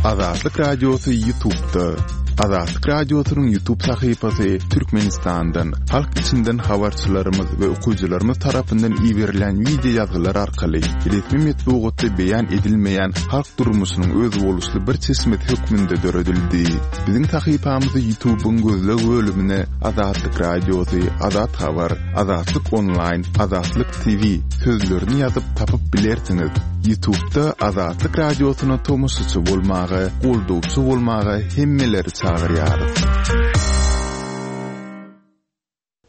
Azatlyk Radiosy Ýutubda. Azatlyk Radiosynyň Ýutub sahypasy Türkmenistandan, halk içinden habarçylarymyz we okyjylarymyz tarapyndan iberilýän wideo ýazgylar arkaly resmi metbugatda beýan edilmeýän halk durmuşynyň özboluşly bir çeşmesi hökmünde döredildi. Biziň sahypamyzy Ýutubyň gözleg bölümine Azatlyk Radiosy, Azat Habar, Azatlyk Onlaýn, Azatlyk TV sözlerini ýazyp tapyp bilersiňiz. Ýutubda Azatlyk Radiosyna tomaşaçy bolmaga, goldawçy bolmaga hemmeleri çagyrýarys.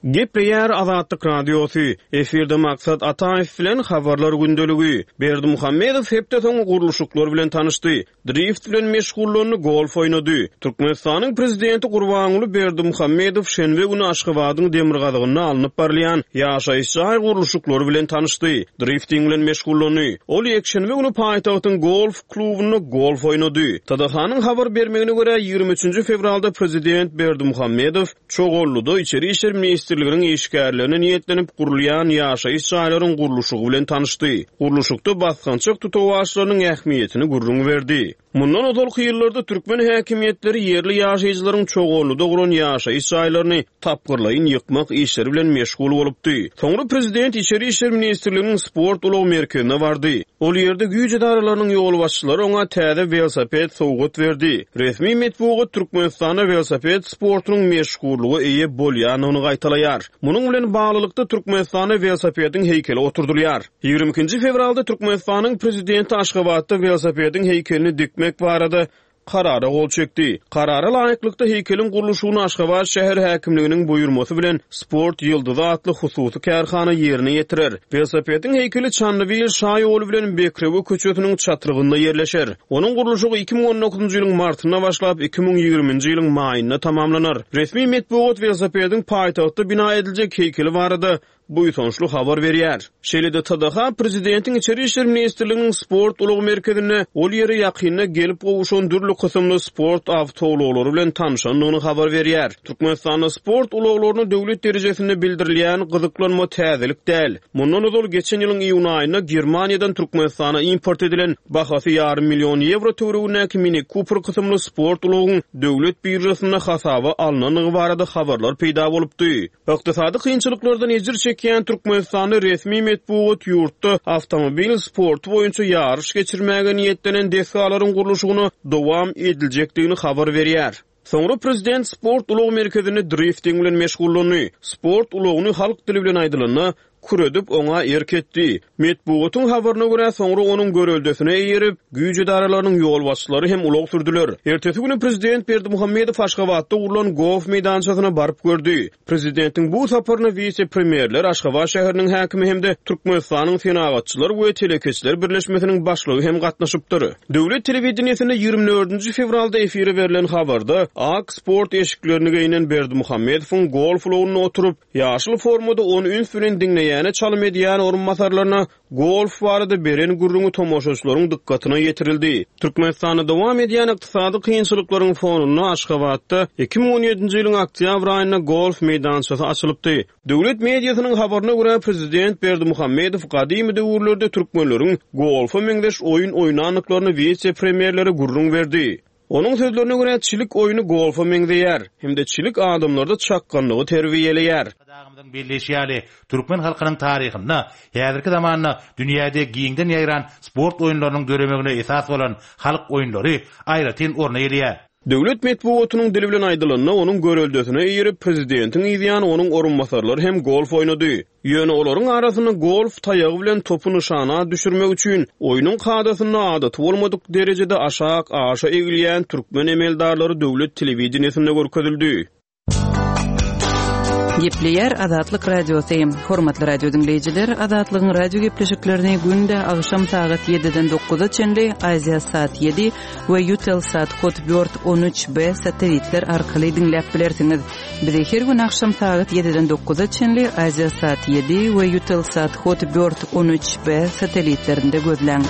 Gepleýär Azatlyk Radiosy, Efirde Maksat Ataýew bilen Habarlar gündeligi. Berdimuhamedow hepde soňy gurluşyklar bilen tanyşdy. Drift bilen meşgullandy, golf oýnady. Türkmenistanyň Prezidenti Gurbanguly Berdimuhamedow şenbe güni Aşgabadyň demirgazygynda alnyp barylýan ýaşaýyş jaý gurluşyklary bilen tanyşdy, drifting bilen meşgullandy. Ol ýekşenbe güni paýtagtyň golf klubynda golf oýnady. TDH-nyň habar bermegine görä, 23 fewralda Prezident Berdimuhamedow Çoganlyda Içeri işler ministrliginiň işgärlerine niýetlenip gurulýan ýaşaýyş jaýlaryň gurluşygy bilen tanyşdy. Gurluşykda basgançak tutawaçlarynyň ähmiýetini gürrüň berdi. Mundan ozalky ýyllarda türkmen häkimiýetleri ýerli ýaşaýjylaryň Çoganlyda guran ýaşaýyş jaýlaryny tapgyrlaýyn ýykmak işleri bilen meşgul bolupdy. Soňra prezident Içeri işler ministrliginiň sport ulag merkezine bardy. Ol ýerde güýç edaralarynyň ýolbaşçylary oňa täze welosiped sowgat berdi. Resmi metbugat Türkmenistanda welosiped sportunyň meşhurlyga eýe bolýandygyny gaýtalaýar. Munuň bilen baglylykda, Türkmenistanda welosipediň heýkeli oturdylýar. 22 nji fewralda Türkmenistanyň Prezidenti Aşgabatda welosipediň heýkelini dikmek barada Karara gol çekdi. Karara laýyklykda, heýkeliň gurluşygyny Aşgabat şäher häkimliginiň buýurmasy bilen Sport ýyldyzy atly hususy kärhana ýerine ýetirer. Welosipediň heýkeli Çandybil şaýoly bilen Bekrewe köçesiniň çatrygynda ýerleşer. Onuň gurluşygy 2019-njy ýylyň martynda başlap, 2020-nji ýylyň maýynda tamamlanar. Resmi metbugat welosipediň paýtagtda bina ediljek heýkeli barada buýsançly habar berýär. Şeýle-de TDH prezidentiň Içeri işler ministrliginiň sport ulag merkezinde ol ýere ýakynda gelip gowşan dürli kysymly sport awtoulaglary bilen tanyşandygyny habar berýär. Türkmenistanda sport ulaglaryna döwlet derejesinde bildirilýän gyzyklanma täzelik däl. Mundan ozal geçen ýylyň iýun aýynda Germaniýadan Türkmenistana import edilen bahasy ýarym million ýewro töweregindäki Mini Cooper kysymly sport ulagyň döwlet biržasynda hasaba alnandygy barada habarlar peýda bolupdy. Ykdysady kynçylyklardan ejir çekýän Türkmenistanda resmi metbugat ýurtda awtomobil sporty boýunça ýaryş geçirmäge niýetlenen desgalaryň gurluşygyna dowam ediljekdigini habar berýär. Soňra prezident sport ulag merkezinde drifting bilen meşgullandy. Sport ulagyny halk dili bilen aýdylanda, küredip, oňa erk etdi. Metbugatyň habaryna görä, soňra onuň göreldesine eýerip, güýç edaralarynyň ýolbaşçylary hem ulag sürdüler. Ertesi güni prezident Berdimuhamedow Aşgabatda gurlan golf meýdançasyna baryp gördi. Prezidentiň bu saparyna wise-premýerler, Aşgabat şäheriniň häkimi hem-de Türkmenistanyň Senagatçylar we telekeçiler birleşmesiniň başlygy hem gatnaşypdyr. Döwlet telewideniýesinde 24 fewralda efire berlen habarda, ak sport eşiklerini geýnen Berdimuhamedowyň golf ulagynda oturyp, Ýaşyl formada ony üns bilen diňleýäne çalym edýän orunbasarlaryna golf barada beren gürrüňi tomaşaçylaryň dykgatyna ýetirildi. Türkmenistanda dowam edýän ykdysady kynçylyklaryň fonunda Aşgabatda 2017-nji ýylyň oktýabr aýynda golf meýdançasy açylypdy. Döwlet mediasynyň habaryna görä, prezident Berdimuhamedow gadymy döwürlerde türkmenleriň golfa meňzeş oýun oýnandyklaryny wise-premýerlere gürrüň berdi. Onuň sözlerine görä, çilik oýny golfa meňzeýär hem-de çilik adamlarda çakganlygy terbiýeleýär. Arkadagymyzyň belleýşi ýaly, türkmen halkynyň taryhynda häzirki zamanda dünýäde giňden ýaýran sport oýunlarynyň döremegine esas bolan halk oýunlary aýratyn orun eýeleýär. Döwlet metbugatynyň dili bilen aýdylanda, onuň göreldesine eýerip, prezidentiň yzýany onuň orunbasarlary hem golf oýnady. Ýöne olaryň arasynda golf taýagy bilen topy nyşana düşürmek üçin oýnuň kadasynda adaty bolmadyk derejede aşak aşa egilýän türkmen emeldarlary döwlet telewideniýesinde görkezildi. Gepleýär Azatlyk Radiosy. Hormatly radio diňleýjiler, Azatlygyň radio gepleşiklerini günde agşam sagat 7-den 9-a çenli Aziasat 7 we Eutelsat Hotbird 13B satelitler arkaly diňläp bilersiňiz. Bizi her gün agşam sagat ýediden dokuza çenli Aziasat ýedi we Eutelsat Hot Bird 13 B satelitlerinde gözläň.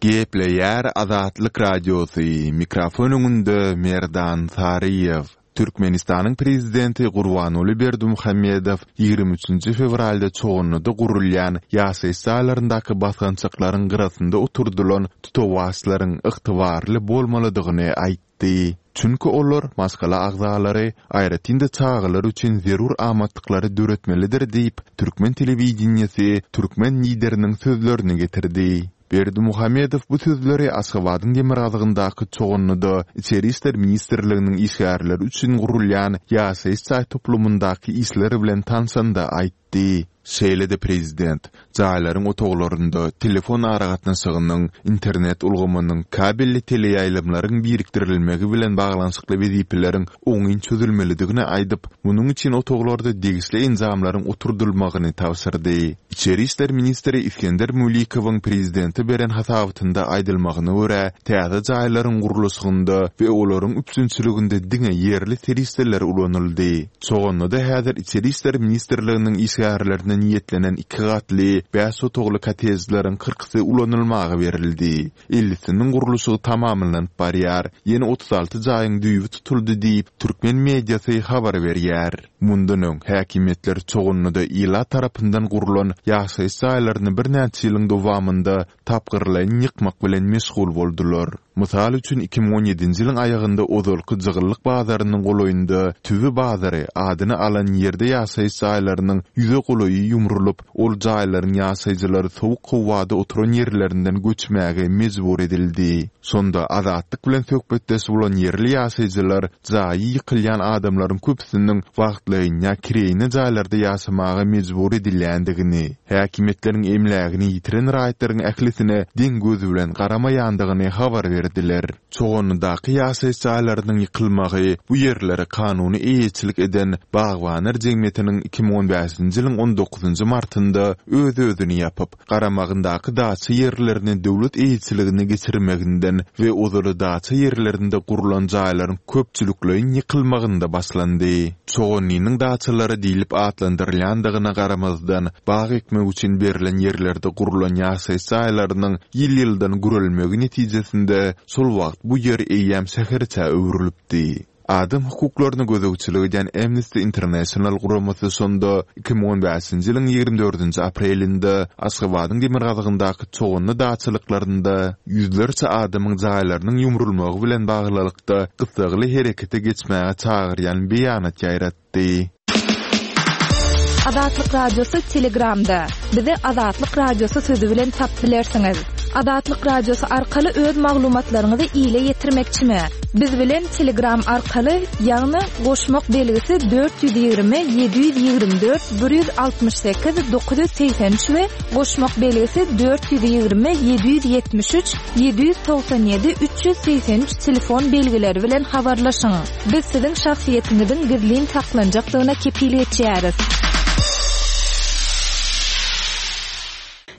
Gepleýär Azatlyk Radiosy, mikrofon öňünde Merdan Saryýew. Türkmenistanyň Prezidenti Gurbanguly Berdimuhamedow 23-nji fewralda Çoganlyda gurulýan ýaşaýyş jaýlaryndaky basgançaklaryň gyrasynda oturdylan tutawaçlaryň ygtybarly bolmalydygyny aýtdy. Çünki olar maşgala agzalary, aýratyn-da çagalar üçin zerur amatlyklary döretmelidir diýip, türkmen telewideniýesi türkmen Lideriniň sözlerini getirdi. Berdimuhamedow bu sözleri Aşgabadyň demirgazygyndaky Çoganlyda Içeri işler ministrliginiň işgärleri üçin gurulýan ýaşaýyş jaý toplumyndaky işler bilen tanşanda aýtdy. Şeýle-de prezident, jaýlaryň otaglarynda telefon aragatnaşygynyň, internet ulgamynyň, kabelli teleýaýlymlaryň birikdirilmegi bilen baglanyşykly wezipeleriň oňyn çözülmelidigini aýdyp, munuň üçin otaglarda degişli enjamlaryň oturdylmagyny tabşyrdy. Içeri işler ministri Isgender Mülikowyň prezidente beren hasabatynda aýdylmagyna görä, täze jaýlaryň gurluşygynda we olaryň üpjünçiliginde diňe ýerli serişdeler ulanyldy. Çoganlyda häzir Içeri işler ministrliginiň işgärlerine niýetlenen iki gatly, bäş otagly kottejleriň kyrkysy ulanylmaga berildi. Ellisiniň gurluşygy tamamlanyp barýar, ýene 36 jaýyň düýbi tutuldy diýip, türkmen mediasy habar berýär. Mundan öň, häkimiýetler Çoganlyda ilat tarapyndan gurlan ýaşaýyş jaýlaryny birnäçe ýylyň dowamynda tapgyrlaýyn ýykmak bilen meşgul boldular. Mysal üçin, 2017-nji ýylyň aýagynda ozalky Jygyllyk bazarynyň golaýynda Tüwi bazary adyny alan ýerde ýaşaýyş jaýlarynyň ýüze golaýy ýumrulyp, Ol jaýlaryň ýaşaýjylary sowuk howada oturan ýerlerinden göçmäge mejbur edildi. Şonda Azatlyk bilen söhbetdeş bolan ýerli ýaşaýjylar jaýy ýykylýan adamlaryň köpüsiniň wagtlaýyn ýa kireýine jaýlarda ýaşamaga mejbur edilýändigini, häkimiýetleriň emlägini ýitiren raýatlaryň ählisine deň göz bilen garamaýandygyny habar berdiler. Çoganlydaky ýaşaýyş jaýlarynyň ýykylmagy bu ýerlere kanuny eýeçilik eden Bagbanlar jemgyýetiniň 2015-nji ýylyň on dokuzynjy martynda öz-özüni ýapyp, garamagyndaky daça ýerlerini döwlet eýeçiligine geçirmeginden we ozaly daça ýerlerinde gurlan jaýlaryň köpçülikleýin ýykylmagynda başlandy. Çoganlynyň daçalary diýlip atlandyrylýandygyna garamazdan, bag ekmek üçin berlen ýerlerde gurlan ýaşaýyş jaýlarynyň ýyl-ýyldan gürelmegi netijesinde şol wagt bu ýer eýýäm şäherçä öwrülipdi. Adam hukuklaryna gözegçilik edýän Amnesty International guramasy şonda 2015-nji ýylyň 24-nji aprelinde Aşgabadyň demirgazygyndaky Çoganly daçalyklarynda ýüzlerçe adamyň jaýlarynyň ýumrulmagy bilen baglylykda gyssagly herekete geçmäge çagyrýan beýanat ýaýratdy. Azatlyk Radiosy Telegramda. Bizi Azatlyk Radiosy sözi bilen tapyp bilersiňiz. Azatlyk Radiosy arkaly öz maglumatlaryňyzy ile ýetirmekçimi? Biz bilen Telegram arkaly, ýagny goşmak belgisi 420 724 168 983 we goşmak belgisi 420 773 797 383 telefon belgileri bilen habarlaşyň. Biz siziň şahsyýetiňiziň gizlin saklanjakdygyna kepil geçýäris.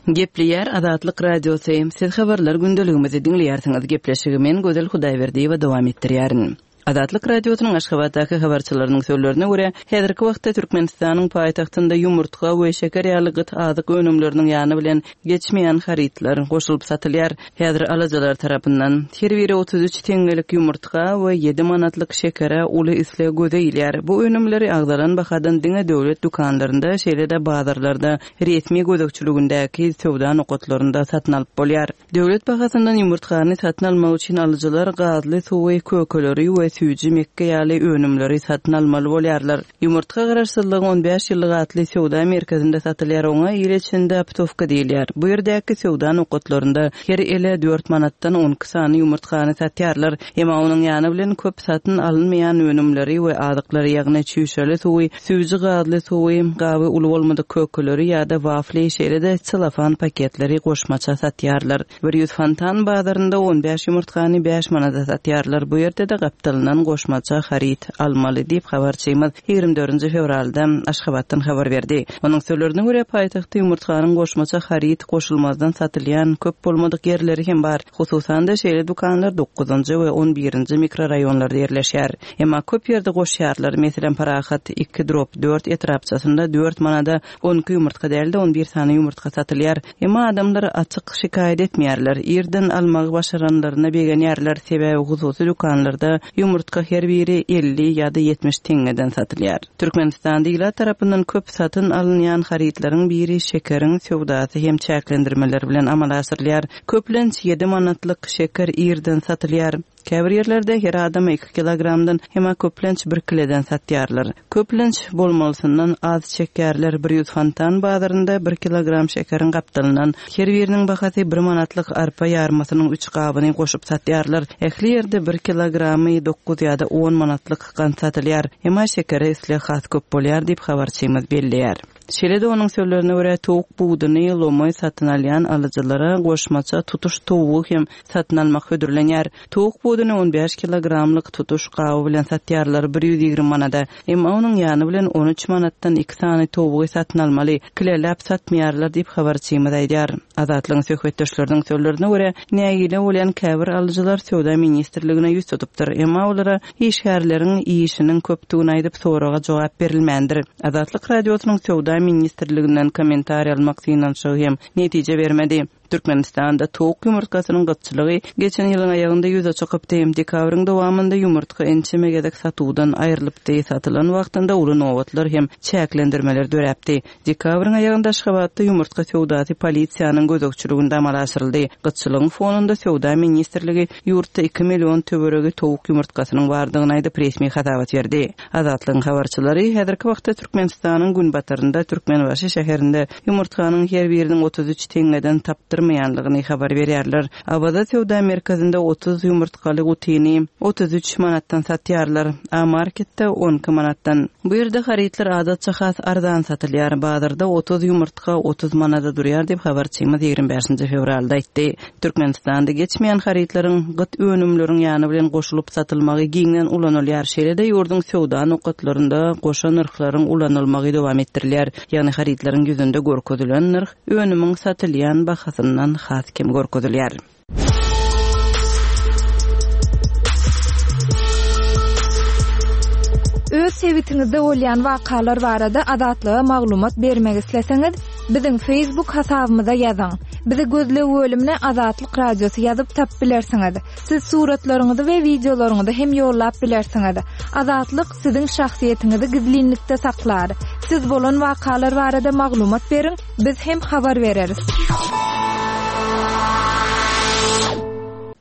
Gepleýär Azatlyk Radiosy, Siz habarlar gündeligimizi diňleýärsiňiz. Gepleşigi men Gözel Hudaýberdiýewa dowam etdirýärin. Azatlyk Radiosynyň Aşgabatdaky habarçylarynyň sözlerine görä, häzirki wagtda Türkmenistanyň paýtagtynda ýumurtga we şeker ýaly gyt azyk önümleriniň ýany bilen geçmeýän harytlar goşulyp satylýar. Häzir alyjylar tarapyndan her biri 33 teňňelik ýumurtga we ýedi manatlyk şekere uly isleg göze ilýär. Bu önümleri agzalan bahadan diňe döwlet dükanlarynda, şeýle-de bazarlarda, resmi gözegçiligindäki söwda nokatlarynda satyn alyp bolýar. Döwlet bahasyndan ýumurtgany satyn almak üçin alyjylar gazly suwy, kökeleri we süýji mekge ýaly önümleri satyn almaly bolýarlar. Ýumurtga Garaşsyzlygyň 15 ýyllygy atly söwda merkezinde satylýar, oňa il içinde optowka diýilýär. Bu ýerdäki söwda nokatlarynda her ele dört manatdan on iki sany ýumurtgany satýarlar. Emma onuň ýany bilen köp satyn alynmaýan önümleri we azyklary, ýagny çüýşeli suwy, süýji gazly suwy, gaby uly bolmadyk kökeleri ýa-da wafli, şeýle-de selofan paketleri goşmaça satýarlar. 100 fontan bazarynda 15 ýumurtgany bäş manada satýarlar, bu ýerde-de gapdalyndan goşmaça haryt almaly diýip, habarçymyz 24-nji fewralda Aşgabatdan habar berdi. Onuň sözlerine görä, paýtagtda ýumurtganyň goşmaça haryt goşulmazdan satylýan köp bolmadyk ýerleri hem bar. Hususan-da, şeýle dükanlar dokuzynjy we on birinji mikroraýonlarda ýerleşýär. Emma köp ýerde goşýarlar. Meselem, Parahat iki drop dört etrapçasynda dört manada 12 ýumurtga däl-de, on bir sany ýumurtga satylýar. Emma adamlar açyk şikaýat etmeýärler. Irden almagy başaranlaryna begenýärler, sebäbi hususy dükanlarda ýumurtga. ýumurtga her biri 50 ýa-da 70 teňňeden satylýar. Türkmenistanda ilat tarapyndan köp satyn alynýan harytlaryň biri şekeriň söwdasy hem çäklendirmeler bilen amala aşyrylýar. Köplenç ýedi manatlyk şeker irden satylýar. Käbir ýerlerde her adama iki kilogramdan, emma köplenç bir kileden satýarlar. Köplenç bolmalysyndan az çekýärler, 100 fontan bazarynda bir kilogram şekeriň gapdalyndan her biriniň bahasy bir manatlyk arpa ýarmasynyň üç gabyny goşup satýarlar. Ähli ýerde bir kilogramy dokuz ýa-da on manatlyk gant satylýar, emma şekere isleg has köp bolýar diýip, habarçymyz belleýär. Şeýle-de onuň sözlerine görä, towuk buduny lomaý satyn alýan alyjylara goşmaça tutuş towugy hem satyn almak hödürlenýär. Towuk buduny on bäş kilogramlyk tutuş gaby bilen satýarlar, 120 manada. Emma onuň ýany bilen on üç manatdan iki sany towugy satyn almaly. Kileläp satmaýarlar diýip, habarçymyz aýdýar. Azatlygyň söhbetdeşleriniň sözlerine görä, nägile bolýan käbir alyjylar Söwda ministrligine ýüz tutupdyr. Emma olara işgärleriň işiniň köpdügini aýdyp, soraga jogap berilmändir. Azatlyk Radiosynyň Söwda ministrliginden kommentariý almak synanyşygy hem netije bermedi. Türkmenistanda towuk ýumurtgasynyň gytçylygy geçen ýylyň aýagynda ýüze çykypdy. Dekabryň dowamynda ýumurtga ençeme gezek satuwdan aýrylypdy, satylan wagtynda uly nobatlar hem çäklendirmeler döräpdi. Dekabryň aýagynda Aşgabatda ýumurtga söwdasy polisiýanyň gözegçiliginde amala aşyryldy. Gytçylygyň fonunda Söwda ministrligi ýurtda iki million töweregi towuk ýumurtgasynyň bardygyny aýdyp, resmi hasabat berdi. Azatlygyň habarçylary häzirki wagtda Türkmenistanyň günbatarynda, Türkmenbaşy şäherinde ýumurtganyň her biriniň 33 teňňeden tapdyrmaýanlygyny habar berýärler. Awaza söwda merkezinde 30 ýumurtgaly gutyny 33 manatdan satýarlar, A Marketde 12 manatdan. Bu ýerde harytlar adatça has arzan satylýar. Bazarda 30 ýumurtga 30 manada durýar diýip, habarçymyz 25 fewralda aýtdy. Türkmenistanda geçmeýän harytlaryň gyt önümleriň ýany bilen goşulyp satylmagy giňden ulanylýar, şeýle-de ýurduň söwda nokatlarynda goşa nyrhlaryň ulanylmagy dowam etdirilýär, ýagny harytlaryň ýüzünde görkezilen nyrh önümiň satylýan bahasyndan has kem görkezilýär. Öz sebitiňizde bolýan wakalar barada Azatlyga maglumat bermek isleseňiz, biziň Facebook hasabymyza ýazyň. Bizi gözleg bölümine Azatlyk Radiosy ýazyp tapyp bilersiňiz. Siz suratlaryňyzy we wideolaryňyzy hem ýollap bilersiňiz. Azatlyk siziň şahsyýetiňizi gizlinlikde saklar. Siz bolan wakalar barada maglumat beriň, biz hem habar bereris.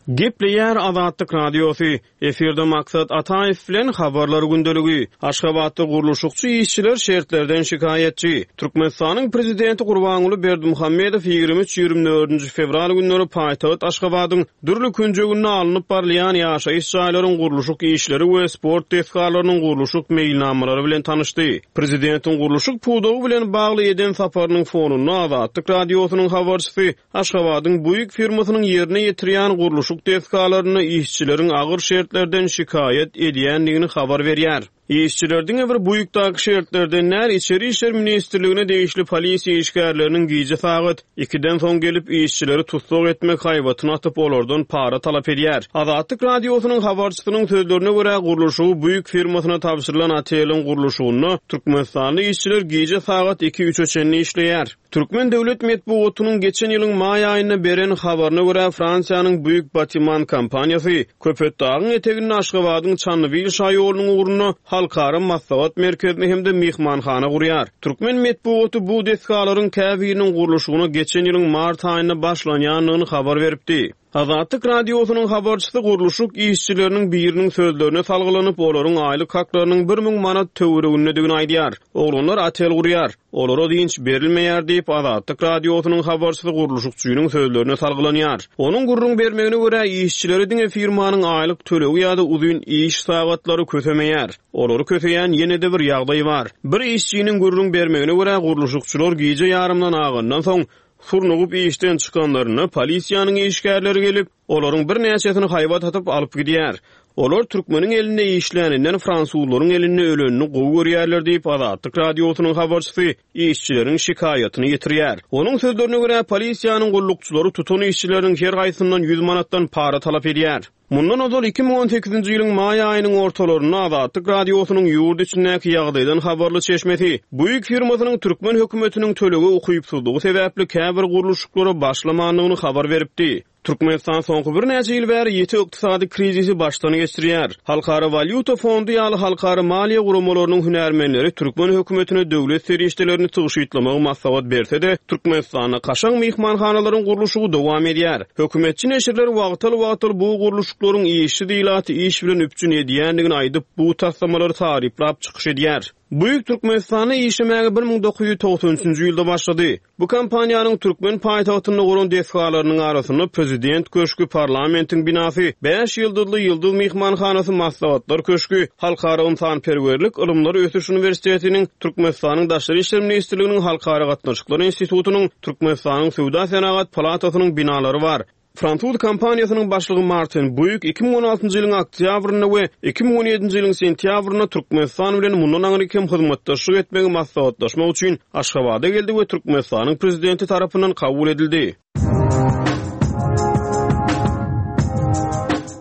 Gepleýär Azatlyk Radiosy. Efirde Maksat Ataýew bilen Habarlar gündeligi. Aşgabatda gurluşykçy işçiler şertlerden şikaýatçy. Türkmenistanyň Prezidenti Gurbanguly Berdimuhamedow 23, 24-nji fewral günleri paýtagt Aşgabadyň dürli künjeginde alnyp barylýan ýaşaýyş jaýlaryň gurluşyk işleri we sport desgalarynyň gurluşyk meýilnamalary bilen tanyşdy. Prezidentiň gurluşyk pudagy bilen bagly eden saparynyň fonunda Azatlyk Radiosynyň habarçysy Aşgabadyň Buig firmasynyň ýerine ýetirýän gurluşyk desgalarynda işçileriň agyr şertlerden şikaýat edýändigini habar berýär. Işçiler diňe bir Buigdaky şertlerden däl, Içeri işler ministrligine degişli polisiýa işgärleriniň gije sagat ikiden soň gelip, işçileri tussag etmek haýbatyny atyp, olardan para talap edýär. Azatlyk Radiosynyň habarçysynyň sözlerine görä, gurluşygy Buig firmasyna tabşyrylan oteliň gurluşygynda türkmenistanly işçiler gije sagat iki-üçe çenli işleýär. Türkmen döwlet metbugatynyň geçen ýylyň maý aýynda beren habaryna görä, Fransiýanyň Buig Batiman kompaniýasy Köpetdagyň eteginde Aşgabadyň Çandybil şaýolunyň ugrunda Halkara maslahat merkezini hem-de myhmanhana gurýar. Türkmen metbugaty bu desgalaryň käbiriniň gurluşygyna geçen ýylyň mart aýynda başlanýandygyny habar beripdi. Azatlyk Radiosynyň habarçysy gurluşyk işçileriniň biriniň sözlerine salgylanyp, olaryň aýlyk haklarynyň 1000 manat töweregindedigini aýdýar. Oglanlar otel gurýar. Olara dynç berilmeýär diýip, Azatlyk Radiosynyň habarçysy gurluşykçynyň sözlerine salgylanýar. Onuň gürrüň bermegine görä, işçileri diňe firmanyň aýlyk tölegi ýa-da uzyn iş sagatlary kösemeýär. Olary köseýän ýene-de bir ýagdaý bar. Bir işçiniň gürrüň bermegine görä, gurluşykçylar gije ýarymdan agandan soň, Surnugyp işden çykanlarynda polisiýanyň işgärleri gelip, olaryň birnäçesini haýbat atyp alyp gidýär. Olar türkmeniň elinde işläninden fransuzlaryň elinde ölenini gowy görýärler diýip, Azatlyk Radiosynyň habarçysy işçileriň şikaýatyny ýetirýär. Onuň sözlerine görä, polisiýanyň gullukçylary tutan işçileriniň her haýsyndan ýüz manatdan para talap edýär. Mundan ozal, 2018-nji ýylyň maý aýynyň ortalarynda Azatlyk Radiosynyň ýurt içindäki ýagdaýdan habarly çeşmesi Buig firmasynyň türkmen hökümetiniň tölege ukypsyzlygy sebäpli käbir gurluşyklara başlamandygyny habar beripdi. Türkmenistan soňky birnäçe ýyl bäri ýiti ykdysady krizisi başdan geçirýär. Halkara walýuta fondy ýaly halkara maliýe guramalarynyň hünärmenleri türkmen hökümetine döwlet serişdelerini tygşytlamagy maslahat berse-de, Türkmenistanda kaşaň myhmanhanalaryň gurluşygy dowam edýär. Hökümetçi neşirler wagtal-wagtal bu gurluşyklaryň işsiz ilaty iş bilen üpjün edýändigini aýdyp, bu taslamalary taryplap çykyş edýär. Buig Türkmenistanda işlemäge 1993-nji ýylda başlady. Bu kompaniýanyň türkmen paýtagtynda guran desgalarynyň arasynda Prezident köşgi, parlamentiň binasy, bäş ýyldyzly Ýyldyz myhmanhanasy, Maslahatlar köşgi, Halkara ynsanperwerlik ylymlar ösüş uniwersitetiniň, Türkmenistanyň Daşary işler ministrliginiň Halkara gatnaşyklar institutynyň, Türkmenistanyň Söwda-senagat palatasynyň binalary bar. Fransuz kompaniýasynyň başlygy Martin Buig 2016-njy ýylyň oktýabrynda we 2017-nji ýylyň sentýabrynda Türkmenistan bilen mundan aňryk hem hyzmatdaşlyk etmegi maslahatlaşmak üçin Aşgabada geldi we Türkmenistanyň Prezidenti tarapyndan kabul edildi.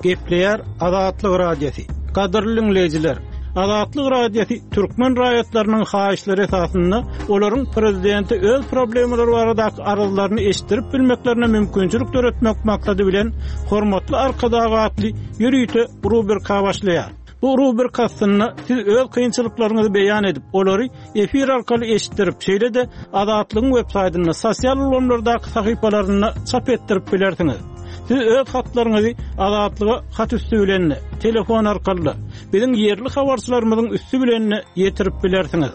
Gepleýär Azatlyk Radiosy. Gadyrly diňleýjiler! Azatlyk Radiosy türkmen raýatlarynyň haýyşlary esasynda olaryň prezidente öz problemalary baradaky arzlaryny eşitdirip bilmeklerine mümkinçilik döretmek maksady bilen Hormatly Arkadag atly ýörite rubrika başlaýar. Bu rubrika astynda siz öz kynçylyklaryňyzy beýan edip, olary efir arkaly eşitdirip, şeýle-de Azatlygyň websaýtynda, sosial ulgamlardaky sahypalarynda çap etdirip bilersiňiz. Siz öz hatlaryňyzy Azatlyga hat üsti bilen-de, telefon arkaly-da, biziň ýerli habarçylarymyzyň üsti bilen-de ýetirip bilersiňiz.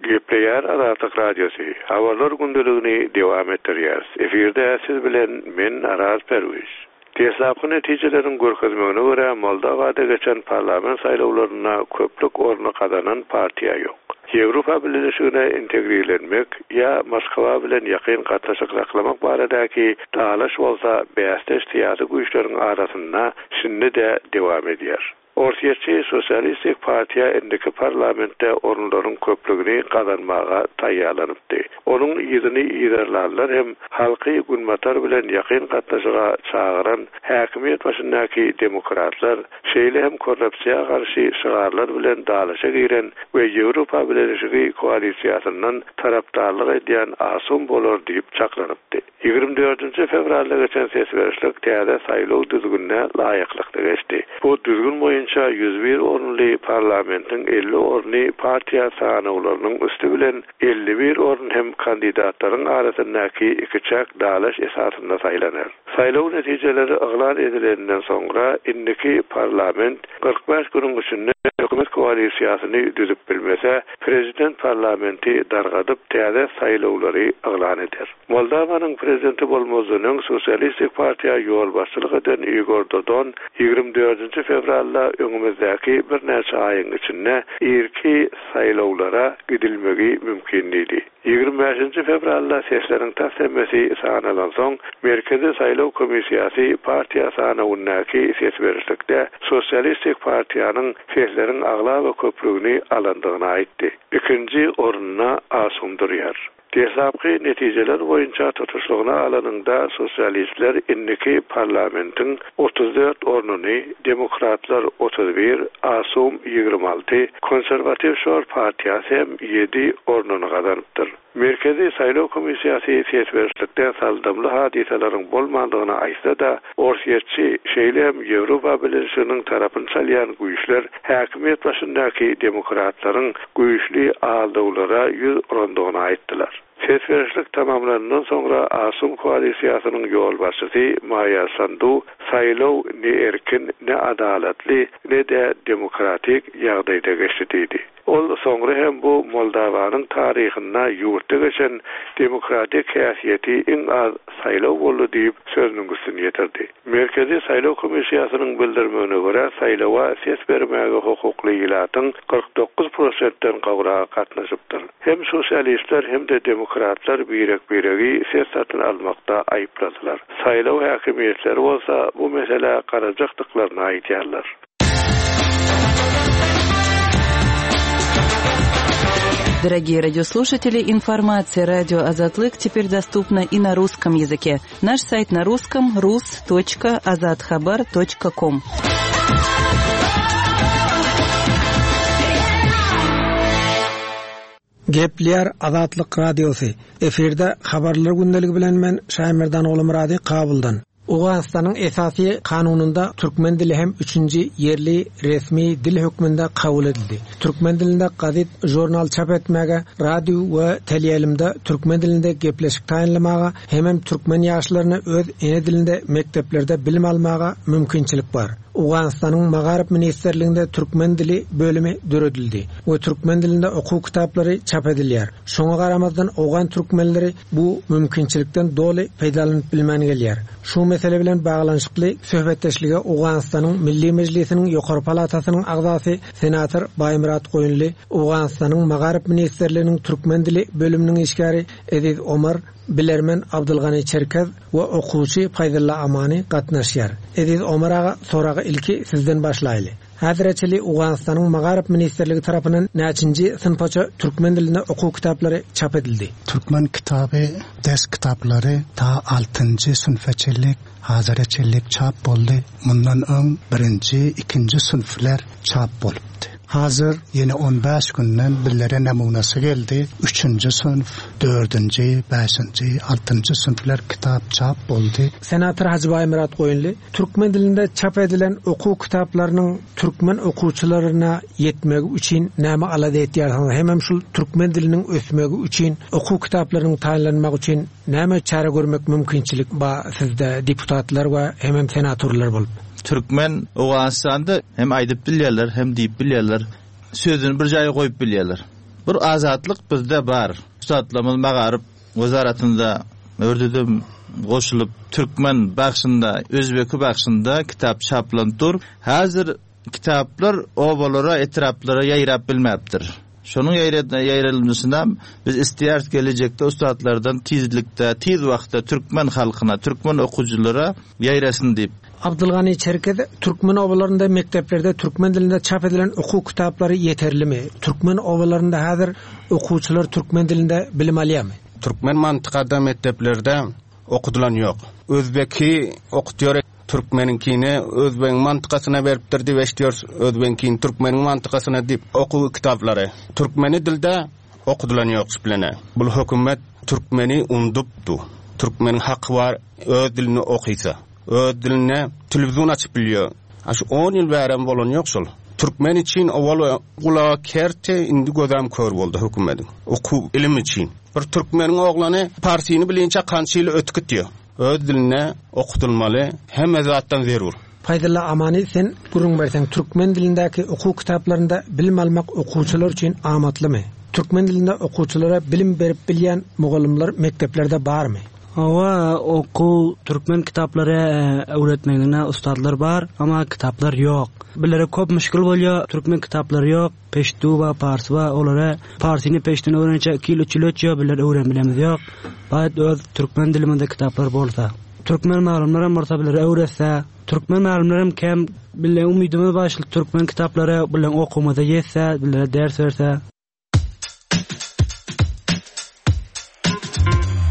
Gepleýär Azatlyk Radiosy, Habarlar gündeligini dowam etdirýäris. Efirde siz bilen men Araz Perwiz. Deslapky netijeleriň görkezmegine görä, Moldowada geçen parlament saýlawlarynda köplük orny gazanan partiýa ýok. Ýewropa Bileleşigine integrirlenmek ýa Moskwa bilen ýakyn gatnaşyk saklamak baradaky dalaş bolsa bäsdeş syýasy güýçleriň arasynda şindi-de dowam edýär. Orsýetçi Sosialistik partiýa indiki parlamentde orunlaryň köplügini gazanmaga taýýarlanypdy. Onuň yzyny yzarlanlar hem halky Günbatar bilen ýakyn gatnaşyga çagyran häkimiýet başyndaky demokratlar, şeýle hem korrupsiýa garşy şygarlar bilen dalaşa giren we Ýewropa Bileleşigi koalisiýasyndan tarapdarlyk edýän ASUM bolar diýip çaklanypdy. 24 fewralda geçen ses berişlik täze saýlaw düzgünine laýyklykda geçdi. Bu düzgün boýunça 101 orunly parlamentiň 50 orny partiýa sanawlarynyň üsti bilen, 51 orun hem kandidatlaryň arasyndaky ikiçäk dalaş esasynda saýlanar. Saýlaw netijeleri yglan edileninden soňra indiki parlament 45 günüň içinde hökümet koalisiýasyny düzüp bilmese, prezident parlamenti dargadyp, täze saýlawlary yglan eder. Moldawanyň prezidenti bolmazdan öň Sosialistik partiýa ýolbaşçylyk eden Igor Dodon 24 fewralda öňümizdäki birnäçe aýyň içinde irki saýlawlara gidilmegi mümkin diýdi. 25 fewralda sesleriň tas hemmesi sanalansoň, Merkezi saýlaw komissiýasy partiýa sanawyndaky ses berişlikde Sosialistik partiýanyň sesleriň aglaba köplügini alandygyny aýtdy. Ikinji orunda ASUM durýar. Deslapky netijeler boýunça tutuşlygyna alanyňda sosialistler indiki parlamentiň 34 ornuny, demokratlar 31, ASUM 26, konserwatiw Şor partiýasy hem ýedi ornuny gazanypdyr. Merkezi saýlaw komissiýasy ses berişlikde saldamly hadysalaryň bolmandygyny aýtsa-da, orsýetçi, şeýle hem Ýewropa Bileleşiginiň tarapyny çalýan güýçler häkimiýet başyndaky demokratlaryň güýçli aldawlara ýüz urandygyny aýtdylar. Ses berişlik tamamlanandan soňra ASUM koalisiýasynyň ýolbaşçysy Maýa Sandu saýlaw ne erkin, ne adalatly, ne-de demokratik ýagdaýda geçdi diýdi. Ol soňra hem bu Moldawanyň taryhynda ýurtda geçen demokratik häsiýeti iň az saýlaw boldy diýip, sözüniň üstüni ýetirdi. Merkezi saýlaw komissiýasynyň bildirmegine görä, saýlawa ses bermäge hukukly ilatyň 49 prosentden gowragy gatnaşypdyr. Hem sosialistler, hem-de demokratlar birek-biregi ses satyn almakda aýypladylar. Saýlaw häkimiýetleri bolsa bu meselä garajakdyklaryny aýdýarlar. Дорогие радиослушатели, информация радио Азатлык теперь доступна и на русском языке. Наш сайт на русском rus.azathabar.com. Gepleýär Azatlyk Radiosy. Efirde Habarlar gündeligi bilen men Şaýmerdan Ogulmyrady Kabuldan. Owganystanyň Esasy Kanunynda türkmen dili hem üçünji ýerli resmi dil hökmünde kabul edildi. Türkmen dilinde gazet, žurnal çap etmäge, radio we teleýaýlymda türkmen dilinde gepleşik taýynlamaga hemem türkmen ýaşlaryna öz ene dilinde mekdeplerde bilim almaga mümkinçilik bar. Owganystanyň Magaryf ministrliginde türkmen dili bölümi döredildi we türkmen dilinde okuw kitaplary çap edilýär. Şoňa garamazdan owgan türkmenleri bu mümkinçilikden doly peýdalanyp bilmän gelýär. Şu mesele bilen baglanyşykly söhbetdeşlige Owganystanyň Milli Mejlisiniň ýokary palatasynyň agzasy, senator Baýmyrat Goýunly, Owganystanyň Magaryf ministrliginiň türkmen dili bölüminiň işgäri Eziz Omar, bilermen Abdylgany Çerkez we okuwçy Paýzylla Amany gatnaşýar. Eziz Omar aga soragy ilki sizden başlaýly. Häzire çenli Owganystanyň Magaryf ministrligi tarapyndan näçinji synpaça türkmen dilinde okuw kitaplary çap edildi? Türkmen kitaby ders kitaplary ta altynjy synpa çenli hazire çenli çap boldy. Mundan öň birinji, ikinji synplar çap bolupdy. Hazir ýene on bäş günden bizlere namunasy geldi. Üçünji synp, dördünji, bäşinji, altynjy synplar kitap çap boldy. Senator Hajy Baýmyrat Goýunly Türkmen dilinde çap edilen okuw kitaplarynyň türkmen okuwçylaryna ýetmegi üçin näme alada etýärsiňiz hemem şul türkmen diliniň ösmegi üçin okuw kitaplarynyň taýynlanmagy üçin näme çäre görmek mümkinçilik ba sizde deputatlar we hemem senatorlar bolup? Türkmen Owganystanda hem aýdyp bilýärler hem diýip bilýärler sözüni bir jaýa goýup bilýärler. Bir azatlyk bizde bar. Ussatlarymyz magaryp Wezaratynda ördüdem goşulyp türkmen bagşynda, özbeki bagşynda kitap çaplanyp dur. Häzir kitaplar obalara, etraplara ýaýrap bilmäpdir. Şonuň ýaýralmysynam biz isleýäris gelejekde ussatlardan tizlikde, tiz wagtda türkmen halkyna, türkmen okyjylara ýaýrasyn diýip. Abdylgany Çerkez, Türkmen obalarynda mekdeplerde türkmen dilinde çap edilen okuw kitaplary ýeterlimi? Türkmen obalarynda häzir okuwçylar türkmen dilinde bilim alýarmy? Türkmen mantykada mekdeplerde okudylan ýok. Özbeki okutýar türkmeniňkini özbegiň mantykasyna beripdir diýip eşidýäris özbegiňkini türkmeniň mantykasyna diýip okuw kitaplary türkmeni dilde Okudylan ýok şplene. Bul hökümet türkmeni undypdy. Türkmeniň haky bar öz dilinde okysa. Öz dilinde telewizon açyp bilýär. A şu on ýyl bärem bolany ýok şol. Türkmen üçin owal gulagy kerti indi gözem kör boldy hökümediň. Okuw ilim üçin. Bir türkmeniň oglany parsyny bilinçä kança ýyl ötüp gitýär. Öz dilinde okudylmaly hemme zatdan zerur. Paýzylla Amany sen gürrüň berseň türkmen dilindäki okuw kitaplarynda bilim almak okuwçylar üçin amatlymy? Türkmen dilinde okuwçylara bilim berip bilýän mugallymlar mekdeplerde barmy? Hawa okuw türkmen kitaplary öwretmegine ussatlar bar amma kitaplar ýok. Bilere köp müşgil bolýa türkmen kitaplary ýok. Peştu bar, parsy bar, olara parsyny peştuni öwrençä iki ýyl, üç ýyl ötýär, bizler öwrenip bilemiz ýok. Baýat öz türkmen dilimizde kitaplar bolsa. Türkmen mugallymlaram bolsa bizlere öwretse. Türkmen mugallymlaram kem, bizleň umydymyz bar şul türkmen kitaplary bizleň okuwymyza ýetse, bizlere ders berse.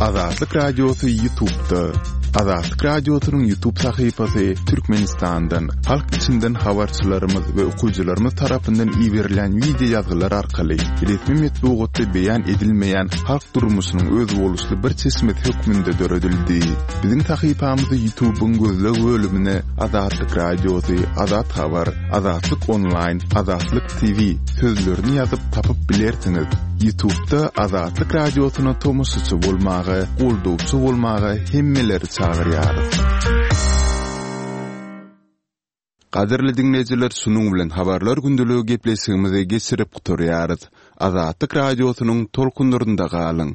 Azatlyk Radiosy Ýutubda. Azatlyk Radiosynyň Ýutub sahypasy Türkmenistandan, halk içinden habarçylarymyz we okyjylarymyz tarapyndan iberilýän wideo ýazgylar arkaly resmi metbugatda beýan edilmeýän halk durmuşynyň özboluşly bir çeşmesi hökmünde döredildi. Biziň sahypamyzy Ýutubyň gözleg bölümine Azatlyk Radiosy, Azat Habar, Azatlyk Onlaýn, Azatlyk TV sözlerini ýazyp tapyp bilersiňiz. Ýutubda Azatlyk Radiosyna tomaşaçy bolmaga, goldawçy bolmaga hemmeleri çagyrýarys. Gadyrly diňleýjiler şunuň bilen Habarlar gündeligi gepleşigimizi geçirip gutarýarys. Azatlyk Radiosynyň tolkunlarynda galyň!